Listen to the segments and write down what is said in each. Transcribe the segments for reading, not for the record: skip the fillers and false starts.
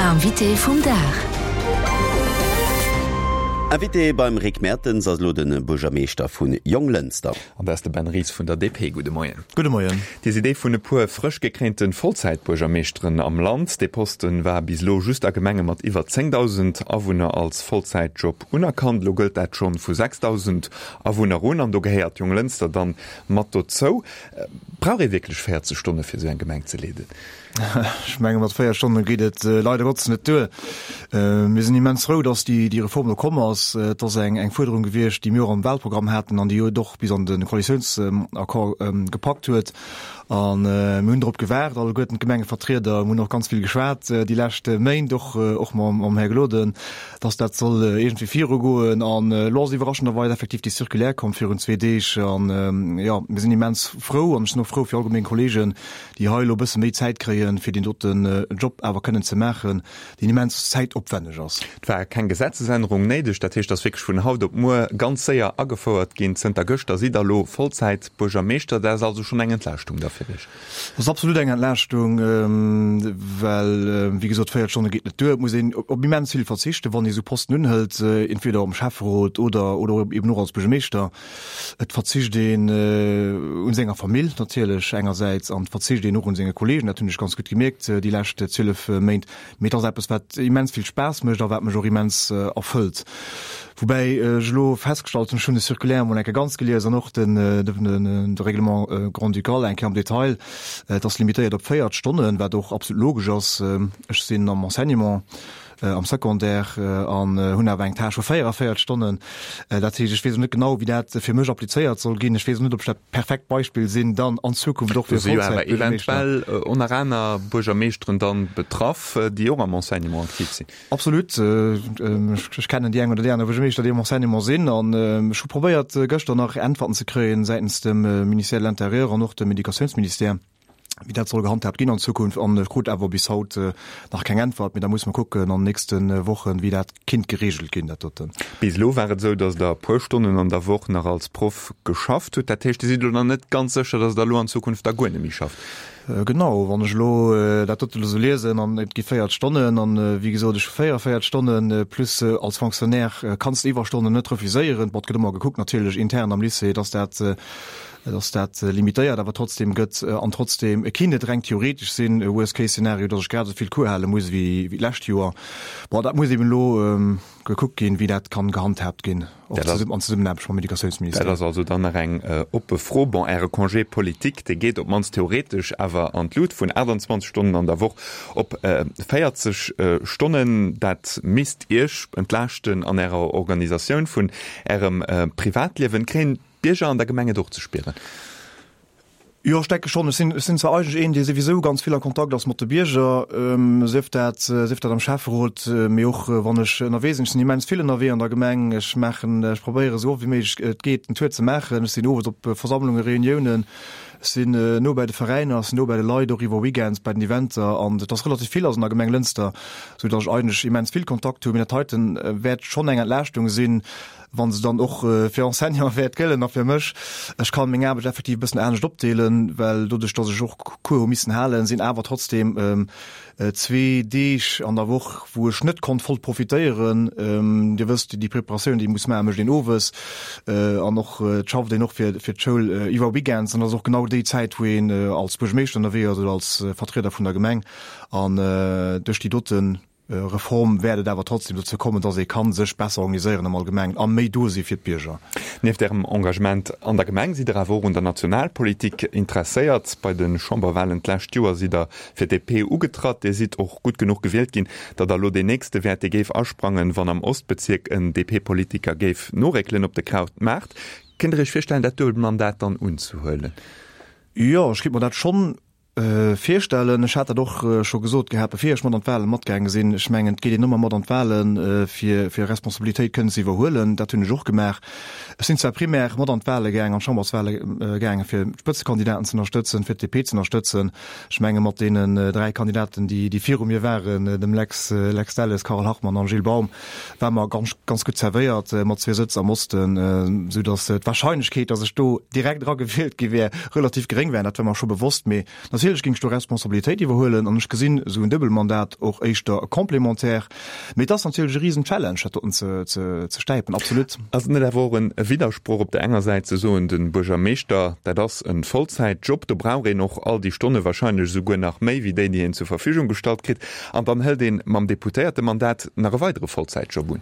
Invité vum Dag. Invité beim Rick Mertens ass elo de Buergermeeschter vu Jonglënster. An dat ass de Ben Ries vun der DP. Gudde Moien. Gudde Moien. Dir sidd ee vun e puer frësch gekréinte Vollzäitbuergermeeschteren am Land. Dee Posten war bis elo just a Gemenge mat iwwer 10.000 Awunner als Vollzäitjob unerkannt. Elo gëllt dat schonn vu 6.000 Awunner un an do gehéiert Jonglënster dann mat dozou. Brauch ee wierklech 40 Stonne fir esou eng Gemeng ze leeden? Ech menge mat 4 Stonne geet et leider Gottes net duer. Mir sinn immens frou, datt déi Reform elo komm ass. Et ass eng Fuerderung gewiescht, déi mir och am Wahlprogramm haten an déi jo et och bis an de Koalitiounsaccord gepackt huet. A mir hunn drop gewaart, alleguerten d'Gemengevertrieder. Mir hunn och ganz vill geschwat déi lescht Méint, och och mam Här Gloden, datt dat soll iergendwéi virugoen. An elo ass iwwerraschenderweis effektiv déi Circulaire komm virun zwee Deeg. An jo, mir sinn immens frou an ech sinn och frou fir allgemeng Kollegen, déi hei elo e bësse méi Zäit kréien, fir deen doten Job awer kënnen ze maachen, deen immens zäitopwänneg ass. Et war keng Gesetzesännerung néideg, dat heescht, et ass wierklech vun haut op muer ganz séier agefouert ginn. Zënter gëschter sidd Der elo Vollzäit-Buergermeeschter. Dat ass also schonn eng Entlaaschtung da fir Iech? Dat ass absolut eng Entlaaschtung, well, wéi gesot, 4 Stonne geet net duer. Et muss een op immens vill verzichten, wann ee esou Posten unhëlt, entweder am Schäfferot oder oder eben och als Buergermeeschter. Et verzicht een un senger Famill natierlech engersäits an et verzicht een och un senge Kollegen. Dat hunn ech ganz gutt gemierkt déi lescht 12 Méint. Mee et ass eppes, wat immens vill Spaass mécht a wat mech och immens erfëllt. Woubäi ech elo festgestallt hunn, ech hunn de Circulaire emol eng Kéier ganz gelies an och den de Règlement grand-ducal eng Kéier am Detail. Et ass limitéiert op 4 Stonnen, wat och absolut logesch ass. Ech sinn am Enseignement. am Secondaire an hunn awer eng Tâche vu 44 Stonnen. Dat heescht, ech weess och net genau, wéi dat fir mech applizéiert soll ginn. Ech weess och net, ob ech dat perfekt Beispill sinn dann an Zukunft och fir Do si jo awer eventuell och nach aner Buergermeeschteren dann betraff, déi och am Enseignement aktiv sinn. Absolut. Ech kennen déi eng oder déi aner Buergermeeschter, déi am Enseignement sinn. An ech hu probéiert, gëschter nach Äntwerten ze kréien säitens dem Ministère de l'Intérieur an och dem Educatiounsministère. wéi dat soll gehandhaabt ginn an Zukunft an ech krut awer bis haut nach keng Äntwert, mee da musse mer kucken an den nächste Wochen, wéi dat kinnt geregelt ginn, dat doten. Bis elo war et esou, datt Der e puer Stonnen an der Woch nach als Proff geschafft hutt. Dat heescht, Dir sidd elo nach net ganz sécher, datt Der elo an Zukunft da guer net méi schafft? Genau, wann ech elo dat dote elo esou liesen an et gi 40 Stonnen an, wéi gesot, ech hu 44 Stonnen plus als Fonctionnaire kanns de Iwwerstonnen net refuséieren. Bon, et gëtt ëmmer gekuckt natierlech intern am Lycée, datt dat dass dat limitéiert awer trotzdem gëtt an trotzdem, et kinnt et reng theoretesch sinn, e Worst-Case-Szenario, dass ech grad esou vill Cours hale muss wéi d'lescht Joer. Bon, dat muss eben elo gekuckt ginn, wéi dat kann gehandhaabt ginn, och an Zesummenaarbecht mam Educatiounsministère. Dat ass also dann nach eng oppe Fro. Bon, Äre Congé politique, dee geet op d'mannst theoretesch awer an d'Lut, vun 28 Stonnen an der Woch op 40 Stonnen. Dat misst Iech entlaaschten an Ärer Organisatioun vun Ärem Privatliewen. Kréien D'Bierger an der Gemeng et och ze spieren? Jo, ech denke schonn. Ech sinn, ech sinn zwar eigentlech een, dee souwisou ganz vill a Kontakt ass mat de Bierger, sief dat, sief dat am Schäfferot, mee och wann ech ënnerwee sinn. Ech sinn immens vill ënnerwee an der Gemeng. Ech maachen, ech probéiere esou oft wéi méiglech et geet en Tour ze maachen. Ech sinn owes op Versammlungen, Reuniounen, ech sinn no bäi de Veräiner, ech sinn no bäi de Leit, och iwwer Weekends bei den Eventer an et ass relativ vill lass an der Gemeng Lënster, esou datt ech eigentlech immens vill Kontakt hunn. Mee dat heiten wäert schonn eng Entlaaschtung sinn, Wa se dann och fir Enseignante wäert gëllen a fir mech. Ech kann meng Aarbecht effektiv e bëssen anescht opdeelen, well doduerch, dass ech och Cours hu missen halen, sinn awer trotzdeem zwee Deeg an der Woch, wou ech net konnt voll profitéieren. Dir wësst, déi Preparatioun, déi ee muss maachen, mécht een owes an och et schafft een och fir d'Schoul iwwer Weekends an dat ass och genau déi Zäit, wou een als Buergermeeschter ënnerwee ass oder als Vertrieder vun der Gemeng an duerch déi doten Reform wäert et awer trotzdem dozou kommen, dass ee kann sech besser organiséieren am Allgemengen a méi do si fir d'Bierger. Nieft Ärem Engagement an der Gemeng sidd Der awer och un der Nationalpolitik interesséiert. Bei de Chamberwahlen d'lescht Joer sidd Der fir d'DP ugetratt. Dir sidd och gutt genuch gewielt ginn, datt Der elo deen nächste wäert, dee géif asprangen, wann am Ostbezierk en DP-Politiker géif noréckelen op de Krautmaart. Kéint Der Iech virstellen, dat Duebelmandat dann unzehuelen? Jo, ech kéint mer dat schonn Virstellen. Ech hat dat och scho gesot gehat, bevir ech mat an d'Wahlen matgaange sinn. Ech mengen, et geet een ëmmer mat an d'Wahlen, fir fir Responsabilitéit kënnen ze iwwerhuelen. Dat hunn ech och gemaach. Ech sinn zwar primär mat an d'Wahle gaang, an d'Chamberswahle gaangen, fir d'Spëtzekandidaten ze ënnerstëtzen, fir d'DP ze ënnerstëtzen. Ech menge mat deenen dräi Kandidaten, déi déi viru mir waren, dem Lex Lex Delles, Carole Hartmann an Gilles Baum, ware mer ganz ganz gutt zerwéiert mat zwee Sëtz am Osten, esou datt d'Wahrscheinlechkeet, datt ech do direkt eragewielt gi wär, relativ geréng war. Dat war mer scho bewosst. Mee natierlech. Natierlech géing ech do Responsabilitéit iwwerhuelen an ech gesinn esou en Duebelmandat och éischter complémentaire. Mee et ass natierlech e risen Challenge, dat doten ze stäipen, absolut. Ass et net awer och e Widdersproch op der enger Säit ze soen, de Buergermeeschter, dat ass e Vollzäitjob, do brauch een och all déi Stonne, wahrscheinlech esouguer nach méi wéi déi, déi een zur Verfügung gestallt kritt, an dann hëlt ee mam Deputéiertemandat nach e weidere Vollzäitjob un?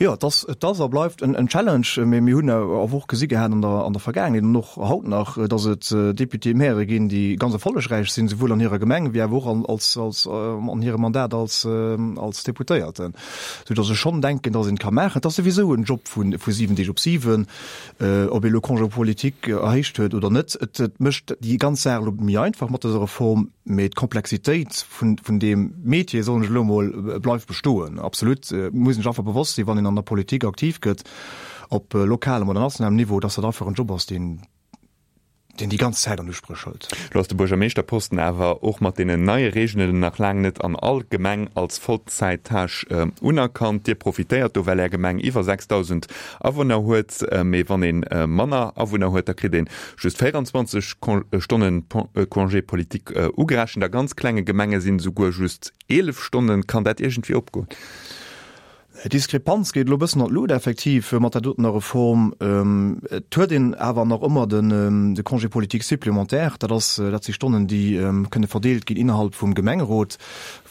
Jo, et ass, et ass a bleift en Challenge, mee mir hunn awer och gesi gehat an der, an der Vergaangenheet an och haut nach, datt et Député-mairë ginn, déi ganz erfollegräich sinn, souwuel an hirer Gemeng wéi awer och an, als, als, an hirem Mandat als, als Deputéierten. Soudatt ech schonn denken, datt een et ka maachen. Et ass souwisou en Job vu, vu 7 Deeg op 7, ob ee elo Congé politique erhéicht huet oder net. Et, et mécht déi ganz Saach elo méi einfach mat dëser Reform. Mee d'Komplexitéit vun deem Métier, soen ech elo emol, bleift bestoen. Absolut. Et muss een sech einfach bewosst sinn, wann een an der Politik aktiv gëtt, ob lokalem oder nationalem Niveau, dass dat einfach en Job ass, deen deen déi ganz Zäit an Uspréch hëlt. Elo ass de Buergermeeschterposten awer och mat deenen neie Reegelen nach laang net an all Gemeng als Vollzäittâche unerkannt. Dir profitéiert do, well Är Gemeng iwwer 6.000 Awunner huet. Mee wann ee manner Awunner huet, da kritt ee just 24 Stonnen Congé politique ugerechent. A ganz klenge Gemenge sinn esouguer just 11 Stonnen. Kann dat iergendwéi opgoen? D'Diskrepanz geet elo e bëssen an d'Lut effektiv mat där dotener Reform. Et huet een awer nach ëmmer de Congé politique supplémentaire. Dat ass, dat si Stonnen, déi kënne verdeelt ginn innerhalb vum Gemengerot.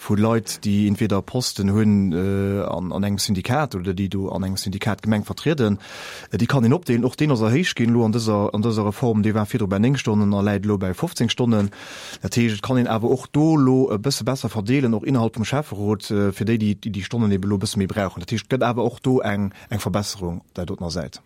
vu Leit, déi entweder Posten hunn an engem Syndikat oder déi do an engem Syndikat d'Gemeng vertrieden, déi kann een opdeelen. Och deen ass erhéicht ginn elo an dëser, an dëser Reform. Dee war virdru bei 9 Stonnen a läit elo bei 15 Stonnen. Dat heescht, et kann een awer och do elo e bësse besser verdeelen, och innerhalb vum Schäfferot, fir déi, déi déi Stonnen ebe elo e bësse méi brauchen. Dat heescht, et gëtt awer och do eng, eng Verbesserung op där dotener Säit.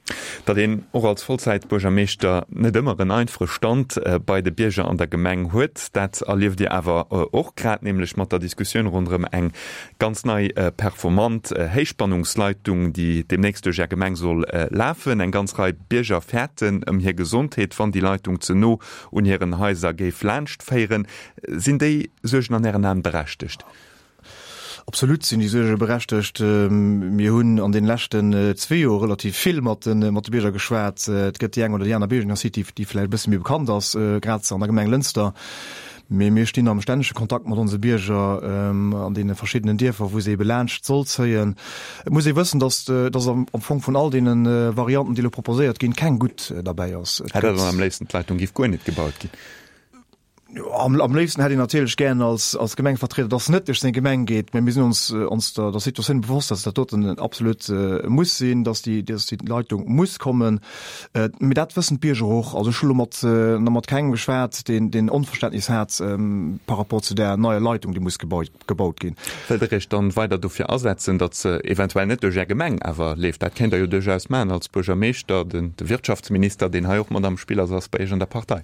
Datt een och als Vollzäitbuergermeeschter net ëmmer en einfache Stand bei de Bierger an der Gemeng huet, dat erlieft Dir awer och grad, nämlech mat der Diskussioun ronderëm eng ganz nei performant Héichspannungsleitung, déi deemnächst duerch Är Gemeng soll lafen. Eng ganz Rei Bierger fäerten ëm hir Gesondheet, wann déi Leitung ze no un hiren Haiser géif laanschtféieren. Sinn déi Suergen an Ären Aen berechtegt? Absolut sinn déi Suerge berechtegt. Mir hunn an deene leschten zwee Joer relativ vill mat de mat de Bierger geschwat. Et gëtt déi eng oder déi aner Biergerinitiativ, déi vläicht e bësse méi bekannt ass, grad an der Gemeng Lënster. Mee mir stinn am stännege Kontakt mat onse Bierger an deene verschiddenen Dierfer, wou se ebe laanscht soll zéien. Et muss ee wëssen, datt datt am Fong vun all deene Varianten, déi elo proposéiert ginn, keng gutt derbäi ass. Hätt Der dann am léifsten, d'Leitung géif guer net gebaut ginn? Am, am léifsten hätt een natierlech gären als, als Gemengvertrieder, dass net duerch seng Gemeng geet, mä mir sinn ons, ons der, der Situatioun bewosst, dass dat doten absolut äh, muss sinn, dass déi, dass déi Leitung muss kommen. Äh, mee dat wëssen d'Bierger och. Also ech hu lo mat, äh, nach mat kengem geschwat, deen, deen Onverständnis hat ähm, par rapport zu där neier Leitung, déi muss gebaut, gebaut ginn. Wëllt Der Iech dann weider dofir asetzen, datt se eventuell net duerch Är Gemeng awer leeft? Dat kéint Der jo duerchaus maachen als Buergermeeschter, den, de Wirtschaftsminister, deen hei och mat am Spill ass, ass bei Iech an der Partei.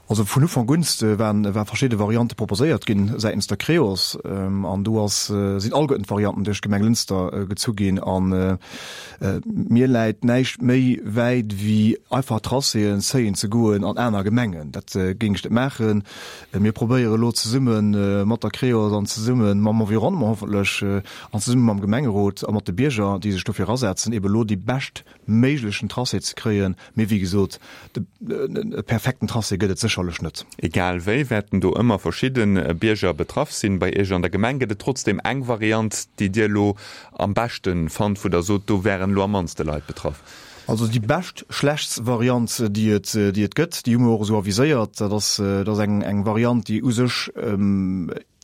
Also vun Ufank un waren war verschidde Variante proposéiert ginn säitens der Creos an do ass sinn alleguerten d'Varianten duerch d'Gemeng Lënster gezu ginn an mir läit näischt méi wäit wéi einfach Tracéen zéien ze goen an aner Gemengen. Dat géing ech net maachen. Mir probéiere elo zesumme mat der Creos an zesumme mam Environnement hoffentlech an zesumme mam Gemengerot a mat de Bierger, déi sech dofir asetzen, ebe elo déi bescht méiglechen Tracé ze kréien, mee wéi gesot, e perfekten Tracé gëtt et sécherlech net. Egal wéi wäerten do ëmmer verschidde Bierger betraff sinn. Bei Iech an der Gemeng gëtt et trotzdeem eng Variant, déi Dir elo am beschte fannt, wou Der sot, do wären elo am mannste Leit betraff? Also déi bescht schlechtst Variant, déi et, déi et gëtt, déi hu mir och esou aviséiert, dat ass, dat ass eng, eng Variant, déi u sech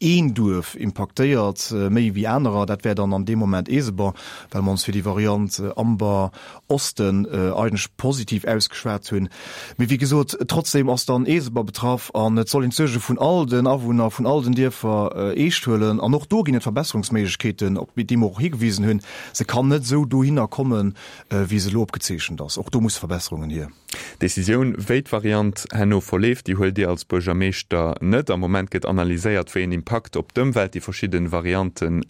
een Duerf impaktéiert méi wéi anerer, dat wär dann an deem Moment Eeseber, well mer ons fir déi Variant Amber Osten eigentlech positiv ausgeschwat hunn. Mee wéi gesot, trotzdem ass dann Eeseber betraff an et soll een d'Suerge vun all den Awunner vun all den Dierfer eescht huelen. An och do ginn et Verbesserungsméiglechkeeten, op déi mer och higewisen hunn. Se kann net esou dohinner kommen, wéi se elo opgezeechent ass. Och do musse Verbesserungen hier. D'Decisioun, wéi d'Variant herno verleeft, déi huelt Dir als Buergermeeschter net. Am Moment gëtt analyséiert, wéi een Impakt op d'Ëmwelt déi verschidde Varianten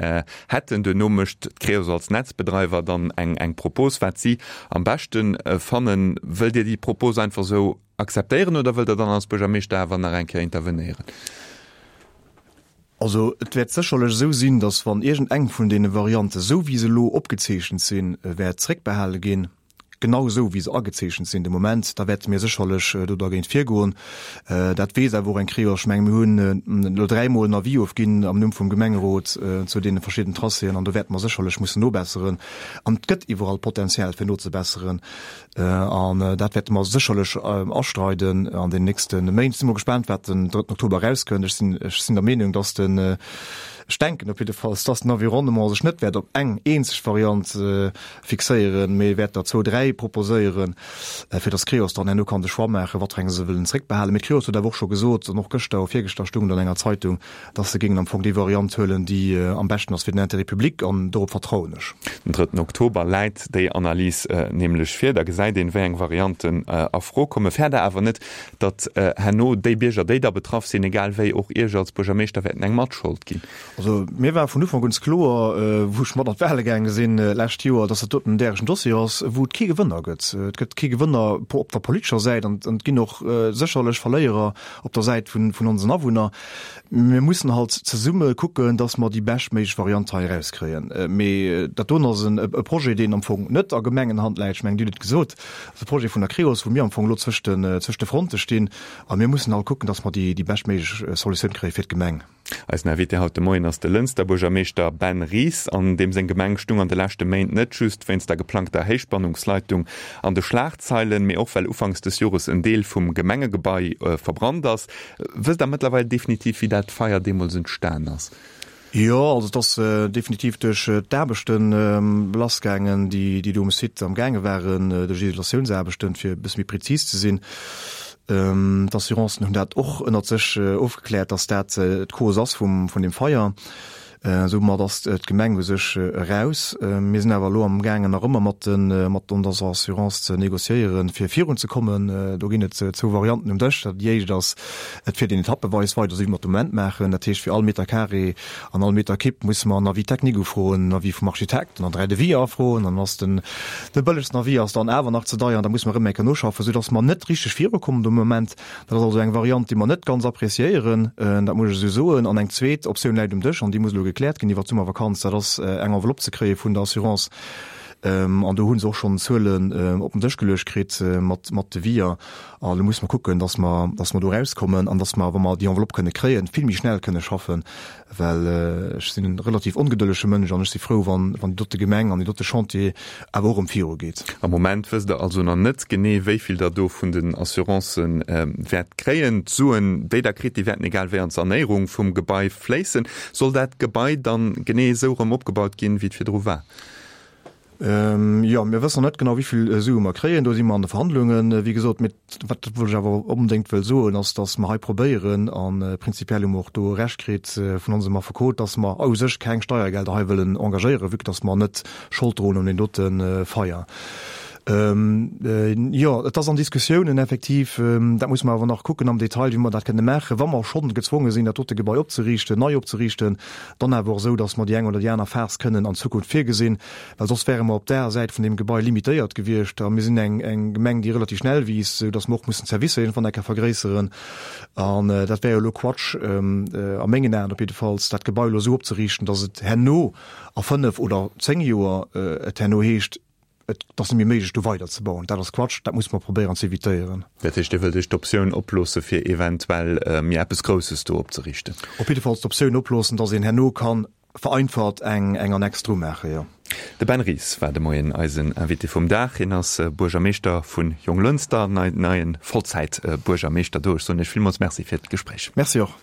hätten. Duerno mécht d'Creos als Netzbedreiwer dann eng Propos, wat si am beschte fannen. Wëllt Dir déi Propos einfach esou akzeptéieren oder wëllt Der dann als Buergermeeschter awer nach eng Kéier intervenéieren? Also et wäert sécherlech esou sinn, datt wann iergendeng vun deene Varianten, esou wéi se elo opgezeechent sinn, wäert zréckbehale ginn. genau esou wéi se agezeechent sinn de Moment, da wäerte mir sécherlech do dergéint virgoen. Dat weess awer och eng Creos. Ech menge mir hunn elo dräimol en Avis ofginn am Numm vum Gemengerot zu deene verschiddenen Tracéen an do wäerte mer sécherlech mussen nobesseren. An et gëtt iwwerall Potenzial fir nozebesseren an dat wäerte mer sécherlech astreiden an den nächste Méint. Ech si mol gespaant wat den drëtten Oktober erauskënnt. Ech sinn, ech sinn der Meenung, datt den, ech denken op jiddefalls, datt den Environnement sech net wäert op eng eenzeg Variant fixéieren, mee wäert der zwou, dräi proposéieren, fir datt d'Creos dann herno kann de Choix maachen, wat fir eng se wëllen zréckbehalen. Mee d'Creos huet awer och scho gesot, an och gëschter oder virgëschter stoung et an enger Zeitung, datt se géingen am Fong déi Variant huelen, déi am beschten ass fir den Intérêt public, an dorop vertrauen ech. Den drëtten Oktober läit déi Analys nämlech vir. Da gesäit een, wéi eng Varianten a Fro kommen. Fäert Der awer net, datt herno déi Bierger, déi da betraff sinn, egal wéi, och Iech als Buergermeeschter wäerten eng Matschold ginn? Also mir war vun Ufank uns kloer, wou ech mat an d'Wahle gaange sinn d'lescht Joer, datt dat doten en däregen Dossier ass, wou et kee Gewënner gëtt. Et gëtt kee Gewënner op der politescher Säit an et ginn och sécherlech Verléierer op der Säit vun onsen Awunner. Mir mussen halt zesumme kucken, datt mer déi beschtméiglech Variant hei erauskréien. Mee dat doen ass e Projet, deen am Fong net a Gemengenhand läit. Ech mengen, Dir hutt et gesot, et ass e Projet vun der Creos, wou mir am Fong elo zwëscht de Fronte stinn a mir mussen halt kucken, datt mer déi beschtméiglech Solutioun kréie fir d'Gemeng. Eisen Invité haut de Moien ass de Lënster Buergermeeschter Ben Ries, an deem seng Gemeng stung an de leschte Méint net just wéinst der geplangter Héichspannungsleitung an de Schlagzeilen, mee och well ufanks des Jores en Deel vum Gemengegebai verbrannt ass. Wësst der mëttlerweil definitiv wéi dat Feier deemools entstan ass? Jo, also et ass definitiv duerch d'Aarbechte lassgaangen, déi do um Site am gaange waren, duerch Isolatiounsaarbechten, fir e bësse méi prezis ze sinn. D'Assurancen hunn dat och ënnert sech ofgekläert, dass dat d'Cause ass vum vun dem Feier. Soumat ass d'Gemeng u sech eraus. Mir sinn awer elo amgaangen nach ëmmer mat de mat onser Assurance ze négociéieren, fir virunzekommen. Do ginn et zwou Varianten um Dësch. Déi éischt ass, et fiert een etappeweis weider, esou wéi mer et de Moment maachen. Dat heescht, fir all Meter carré an all Meter Kipp musse mer en Avis technique ufroen, en Avis vum Architekt an dann 3 Devis afroen. Dann ass den, de bëllegsten Avis ass dann awer nach ze deier an da musse mer erëm eng Kéier noschaffen, soudass mer net richteg virukommen de Moment. Dat ass also eng Variant, déi mer net ganz appréciéieren, dat muss ech esou soen. An eng zweet Optioun läit um Dësch an déi muss elo gekläert ginn iwwert d'Summervakanz, dat ass eng Enveloppe ze kréie vun der Assurance. An do hu se och schonn Zuelen op den Dësch geluecht kritt mat, mat Deviser. An elo musse mer kucken, dass mer, dass mer do erauskommen an dass mer, wa mer déi Enveloppe kënne kréien, vill méi schnell kënne schaffen, well ech sinn e relativ ongedëllege Mënsch an ech si frou, wann, wann déi dote Gemeng an deen dote Chantier awer och erëm virugeet. Am Moment wësst Der also nach net genee, wéi vill Der do vun den Assurancë wäert kréien. D'Suen, déi Der kritt, déi wäerten egal wéi an d'Sanéierung vum Gebai fléissen. Soll dat Gebai dann genee esou erëm opgebaut ginn, wéi et virdru war? Jo, mir wëssen nach net genau, wéi vill Sue mer kréien. Do si mer an de Verhandlungen, wéi gesot. Mee wat ech awer onbedéngt wëll soen, ass, datt mer hei probéieren, a prinzipiell hu mer och do Recht kritt vun onsem Affekot, datt mer u sech keng Steiergelder hei wëllen engagéieren, vue que datt mer net Schold droen un deen dote Feier. Jo, et ass an Diskussiounen, effektiv. Dat musse mer awer nach kucken am Detail, wéi mer dat kënne maachen, wa mer schonn gezwonge sinn, dat dote Gebai opzeriichten, nei opzeriichten. Dann awer och esou, dass mer déi eng oder déi aner Phas kënnen an Zukunft virgesinn, well soss wäre mer op där Säit vun deem Gebai limitéiert gewiescht. A mir sinn eng eng Gemeng, déi relativ schnell wiisst, esou dass mer och mussen d'Servicer iergendwann eng Kéier vergréisseren. An dat wär jo elo Quatsch, a mengen Aen op jiddefalls, dat Gebai elo esou opzeriichten, dass et herno a fënnef oder zéng Joer et herno heescht, Et ass net méi méiglech, do weiderzebauen. Dat ass Quatsch, dat musse mer probéieren ze evitéieren. Dat heescht, Dir wëllt Iech d'Optioun oploosse fir eventuell méi eppes Grousses do opzeriichten? Op jiddefalls d'Optioun oploossen, datt een herno ka vereinfacht eng Annex dru maachen, jo. De Ben Ries war de Moien eisen Invité vum Dag. Hien ass Buergermeeschter vu Jonglënster, neien Vollzäit-Buergermeeschter do. Ech soen Iech villmools Merci fir d'Gespréich. Merci och.